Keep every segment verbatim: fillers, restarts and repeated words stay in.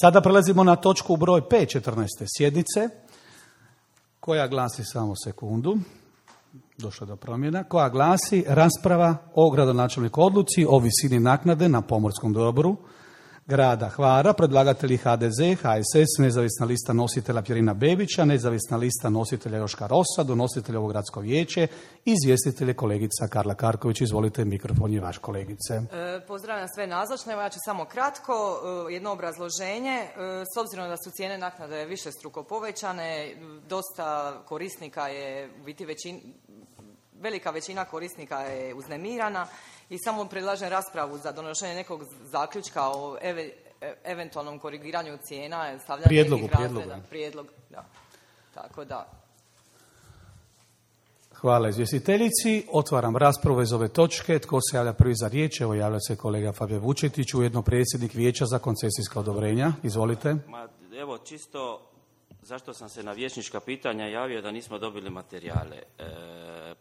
Sada prelazimo na točku broj pet četrnaeste sjednice, koja glasi, samo sekundu, došlo do promjena, koja glasi rasprava o gradonačelniku odluci o visini naknade na pomorskom dobru grada Hvara, predlagatelji H D Z, H S S, nezavisna lista nositelja Pjerina Bebića, nezavisna lista nositelja Joška Rosa, donositelja ovo gradsko vijeće, izvjestitelje kolegica Karla Karković. Izvolite, mikrofon je vaš, kolegice. E, pozdravljam sve nazočne, evo ja ću samo kratko, e, jedno obrazloženje. E, s obzirom da su cijene naknade višestruko povećane, dosta korisnika je, u biti većin, velika većina korisnika je uznemirana i samo predlažem raspravu za donošenje nekog zaključka o eve, eventualnom korigiranju cijena, stavljanje prijedlogu, nekih razreda. prijedlogu. Prijedlog, da. Tako da. Hvala izvjestiteljici. Otvaram raspravu iz ove točke. Tko se javlja prvi za riječ? Evo, javlja se kolega Fabio Vučetić, ujedno predsjednik Vijeća za koncesijska odobrenja. Izvolite. Ma, evo, čisto zašto sam se na vijećnička pitanja javio da nismo dobili materijale. E,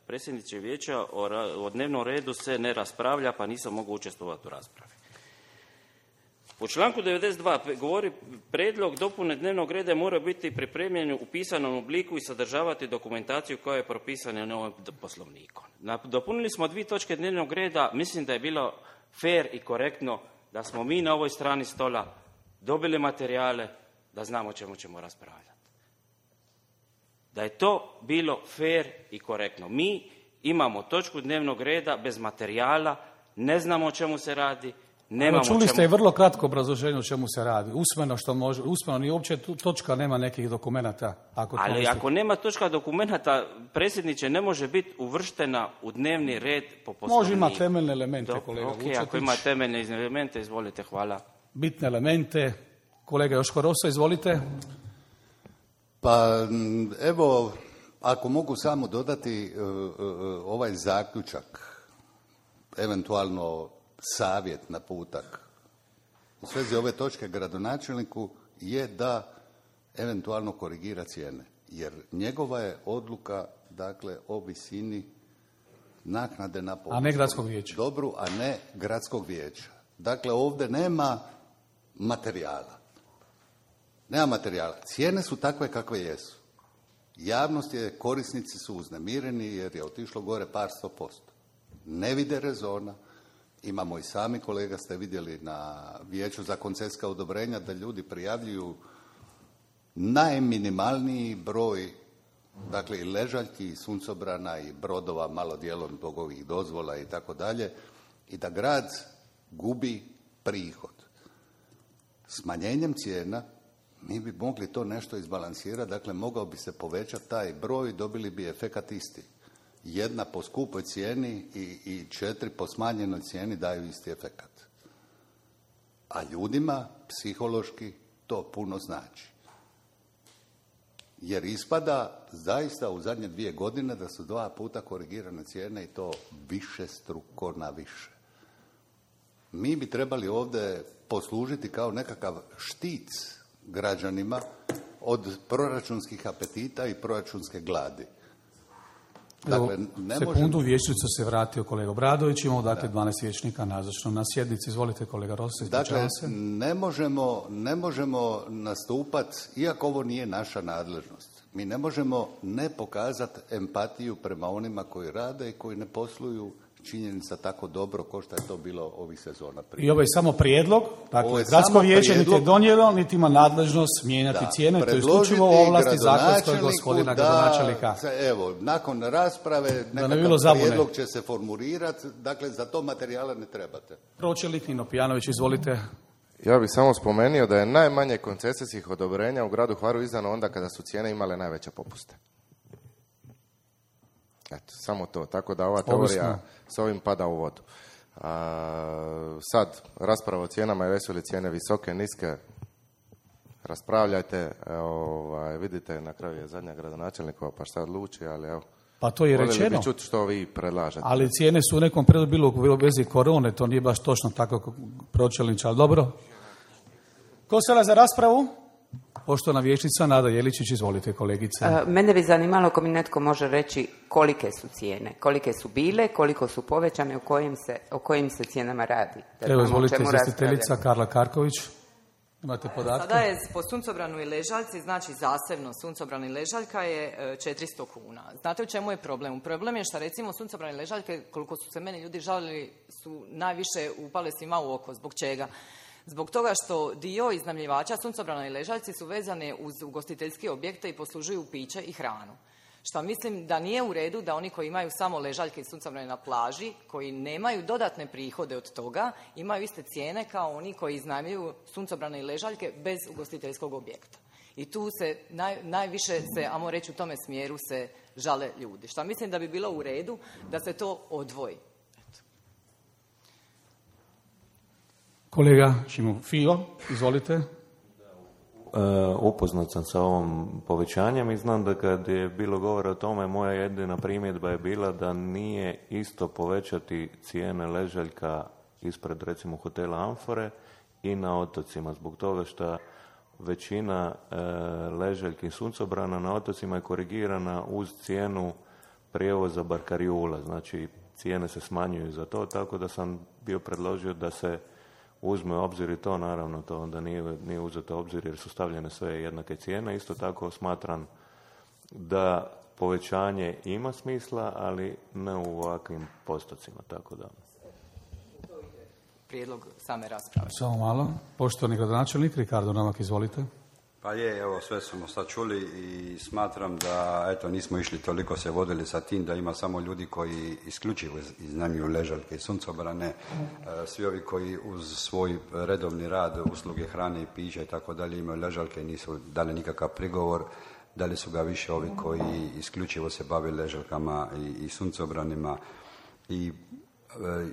predsjedniče Vijeća, o, o dnevnom redu se ne raspravlja, pa nisam mogu učestvovati u raspravi. U članku devedeset dva govori prijedlog dopune dnevnog reda mora biti pripremljen u pisanom obliku i sadržavati dokumentaciju koja je propisana novim poslovnikom. Dopunili smo dvije točke dnevnog reda, mislim da je bilo fair i korektno da smo mi na ovoj strani stola dobili materijale da znamo o čemu ćemo raspravljati. Da je to bilo fair i korektno. Mi imamo točku dnevnog reda bez materijala, ne znamo o čemu se radi. Nemamo čuli čemu... ste i vrlo kratko obrazloženje o čemu se radi. Usmeno što može, usmeno ni uopće točka nema nekih dokumenata. Ako Ali misli... ako nema točka dokumenata, predsjedniče, ne može biti uvrštena u dnevni red po poslovniku. Može ima temeljne elemente, Do, kolega okay, Vučetić. Ako ima temeljne elemente, izvolite, hvala. Bitne elemente. Kolega Joško Rosa, izvolite. Pa evo, ako mogu samo dodati uh, uh, ovaj zaključak, eventualno savjet, naputak u svezi ove točke gradonačelniku je da eventualno korigira cijene. Jer njegova je odluka, dakle, o visini naknade na pomorskom a ne gradskog vijeća. dobru, a ne gradskog vijeća. Dakle, ovdje nema materijala. Nema materijala. Cijene su takve kakve jesu. Javnost je, korisnici su uznemireni jer je otišlo gore par sto posto. Ne vide rezona. Imamo i sami, kolega, ste vidjeli na Vijeću za koncesijska odobrenja da ljudi prijavljuju najminimalniji broj, dakle i ležaljki, i suncobrana, i brodova, malo dijelom zbog ovih dozvola i tako dalje, i da grad gubi prihod. Smanjenjem cijena mi bi mogli to nešto izbalansirati, dakle mogao bi se povećati taj broj, dobili bi efekat isti. Jedna po skupoj cijeni i, i četiri po smanjenoj cijeni daju isti efekat. A ljudima psihološki to puno znači. Jer ispada zaista u zadnje dvije godine da su dva puta korigirane cijene i to više struko na više. Mi bi trebali ovdje poslužiti kao nekakav štic građanima od proračunskih apetita i proračunske gladi. Dakle, ne sekundu, možemo... vijećnicu se vratio kolega Obradović, imamo dakle dvanaest vijećnika nazočno na sjednici. Izvolite, kolega Rossi, dakle, se. Ne možemo, ne možemo nastupati, iako ovo nije naša nadležnost, mi ne možemo ne pokazati empatiju prema onima koji rade i koji ne posluju činjenica tako dobro kao što je to bilo ovih sezona prije. I ovo je samo prijedlog, dakle, gradsko vijeće niti je donijelo, niti ima nadležnost mijenjati da, cijene, to je isključivo ovlasti zakonskog gospodina gradonačelnika. Evo, nakon rasprave nekakav prijedlog će se formulirati, dakle, za to materijala ne trebate. Pročelnik Nino Pijanović, izvolite. Ja bih samo spomenuo da je najmanje koncesijskih odobrenja u gradu Hvaru izdano onda kada su cijene imale najveće popuste. Eto, samo to. Tako da ova teorija Ovisno. s ovim pada u vodu. A, sad, rasprava o cijenama, jesu li cijene visoke, niske, raspravljajte, ovaj, vidite, na kraju je zadnja gradonačelnikova, pa šta odluči, ali evo. Pa to je rečeno. Voljeli bi čuti što vi predlažete. Ali cijene su u nekom periodu bilo u vezi korone, to nije baš točno tako pročelnič, ali dobro. Ko se za raspravu? Poštovana vijećnica Nada Jeličić, izvolite, kolegice. Uh, mene bi zanimalo ako mi netko može reći kolike su cijene, kolike su bile, koliko su povećane, o kojim se, o kojim se cijenama radi. Evo, izvolite, izvjestiteljica Karla Karković. Imate podatke? Sada je po suncobranu i ležaljci, znači zasebno suncobran i ležaljka je četiristo kuna. Znate u čemu je problem? Problem je što recimo suncobran i ležaljke, koliko su se meni ljudi žalili, su najviše upale svima u oko. Zbog čega? Zbog toga što dio iznajmljivača suncobrana i ležaljci su vezane uz ugostiteljske objekte i poslužuju piće i hranu. Što mislim da nije u redu da oni koji imaju samo ležaljke i suncobrane na plaži, koji nemaju dodatne prihode od toga, imaju iste cijene kao oni koji iznajmljuju suncobrane i ležaljke bez ugostiteljskog objekta. I tu se naj, najviše se, ajmo reći, u tome smjeru se žale ljudi. Što mislim da bi bilo u redu da se to odvoji. Kolega Šimo Fio, izvolite. Upoznat sam sa ovom povećanjem i znam da kad je bilo govora o tome, moja jedina primjedba je bila da nije isto povećati cijene ležaljka ispred recimo hotela Amfore i na otocima, zbog toga što većina e, ležaljki i suncobrana na otocima je korigirana uz cijenu prijevoza barkarijula, znači cijene se smanjuju za to, tako da sam bio predložio da se uzme u obzir i to, naravno, to onda nije, nije uzeto u obzir jer su stavljene sve jednake cijene. Isto tako smatram da povećanje ima smisla, ali ne u ovakvim postocima, tako da. Prijedlog same rasprave. Samo malo. Poštovani gradonačelnik, Ricardo Novak, izvolite. Pa je, evo, sve smo sad čuli i smatram da, eto, nismo išli toliko se vodili sa tim da ima samo ljudi koji isključivo iznajmljuju ležaljke i suncobrane, svi ovi koji uz svoj redovni rad, usluge hrane i pića i tako dalje imaju ležaljke i nisu dali nikakav prigovor, dali su ga više ovi koji isključivo se bave ležaljkama i, i suncobranima i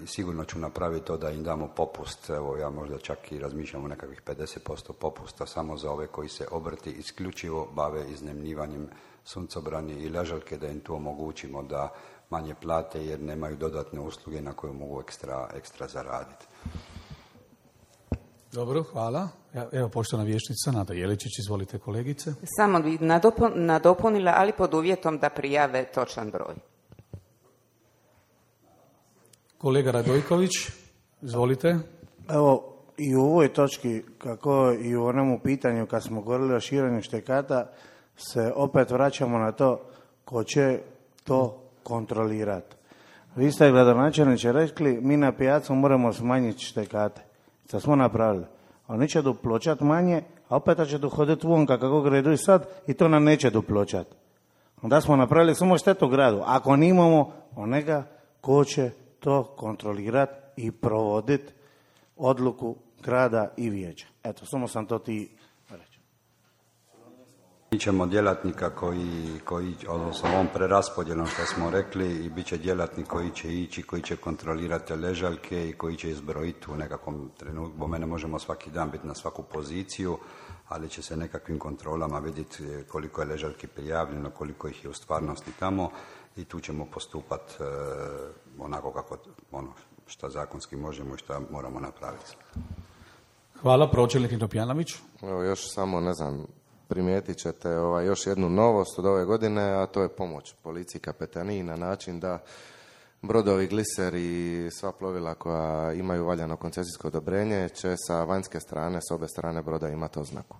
sigurno ću napraviti to da im damo popust, evo ja možda čak i razmišljam o nekakvih pedeset posto popusta samo za ove koji se obrti isključivo bave iznajmljivanjem suncobrani i ležaljke, da im tu omogućimo da manje plate jer nemaju dodatne usluge na koje mogu ekstra, ekstra zaraditi. Dobro, hvala. Evo poštovana vijećnica Nada Jeličić, izvolite kolegice. Samo bi nadopun, nadopunila, ali pod uvjetom da prijave točan broj. Kolega Radojković, izvolite. Evo, i u ovoj točki, kako i u onomu pitanju kad smo govorili o širenju štekata, se opet vraćamo na to ko će to kontrolirati. Vi ste, gradonačelniče, rekli, mi na pijacu moramo smanjiti štekate. Što smo napravili? Oni će dupločati manje, a opet će dohoditi vonka kako gredu i sad i to nam neće dupločati. Onda smo napravili samo štetu gradu. Ako nimamo onega ko će to kontrolirati i provoditi odluku grada i vijeća. Eto, samo sam to ti reći. Mi ćemo djelatnika koji, koji odnosno ovom preraspodjelom što smo rekli, i bit će djelatnik koji će ići, koji će kontrolirati ležaljke i koji će izbrojiti u nekakvom trenutku. Bo mene možemo svaki dan biti na svaku poziciju, ali će se nekakvim kontrolama vidjeti koliko je ležaljki prijavljeno, koliko ih je u stvarnosti tamo i tu ćemo postupati e, onako kako ono što zakonski možemo i što moramo napraviti. Hvala, pročelnik Topjanović. Evo još samo, ne znam, primijetit ćete ovaj, još jednu novost od ove godine, a to je pomoć policiji kapetaniji na način da brodovi Gliser i sva plovila koja imaju valjano koncesijsko odobrenje će sa vanjske strane, s obe strane broda imati oznaku.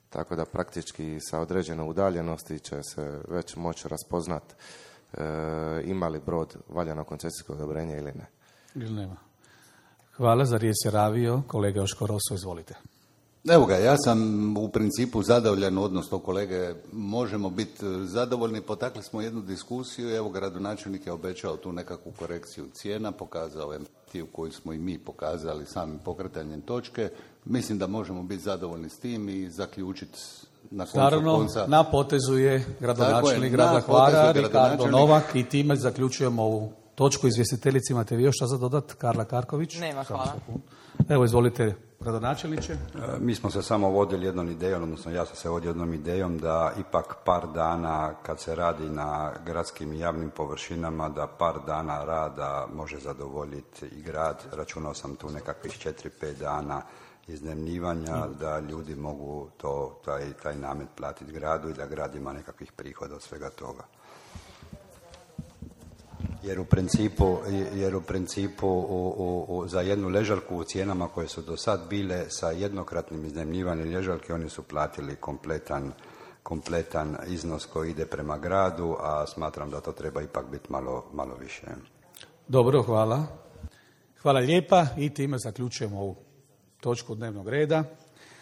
Tako da praktički sa određene udaljenosti će se već moći raspoznat e, ima li brod valjano koncesijsko odobrenje ili ne. Ili nema. Hvala, za riječ se javio kolega Joško Roso, izvolite. Evo ga, ja sam u principu zadovoljan, odnosno kolege, možemo biti zadovoljni, potakli smo jednu diskusiju, evo gradonačelnik je obećao tu nekakvu korekciju cijena, pokazao empatiju koju smo i mi pokazali samim pokretanjem točke, mislim da možemo biti zadovoljni s tim i zaključiti na koncu Naravno, konca. na potezu je gradonačelnik grada Hvara, Ricardo Novak, i time zaključujemo ovu točku. Izvjestiteljici, imate vi još šta za dodat? Karla Karković? Nema, hvala. Evo, izvolite, gradonačelniče. Mi smo se samo vodili jednom idejom, odnosno ja sam se vodio jednom idejom da ipak par dana kad se radi na gradskim i javnim površinama, da par dana rada može zadovoljiti i grad. Računao sam tu nekakvih četiri pet dana iznajmljivanja, da ljudi mogu to, taj, taj namet platiti gradu i da grad ima nekakvih prihoda od svega toga. jer u principu, jer u principu u, u, u, za jednu ležaljku u cijenama koje su do sad bile sa jednokratnim iznajmljivanjem ležaljke oni su platili kompletan, kompletan iznos koji ide prema gradu, a smatram da to treba ipak biti malo, malo više. Dobro, hvala. Hvala lijepa i time zaključujemo ovu točku dnevnog reda.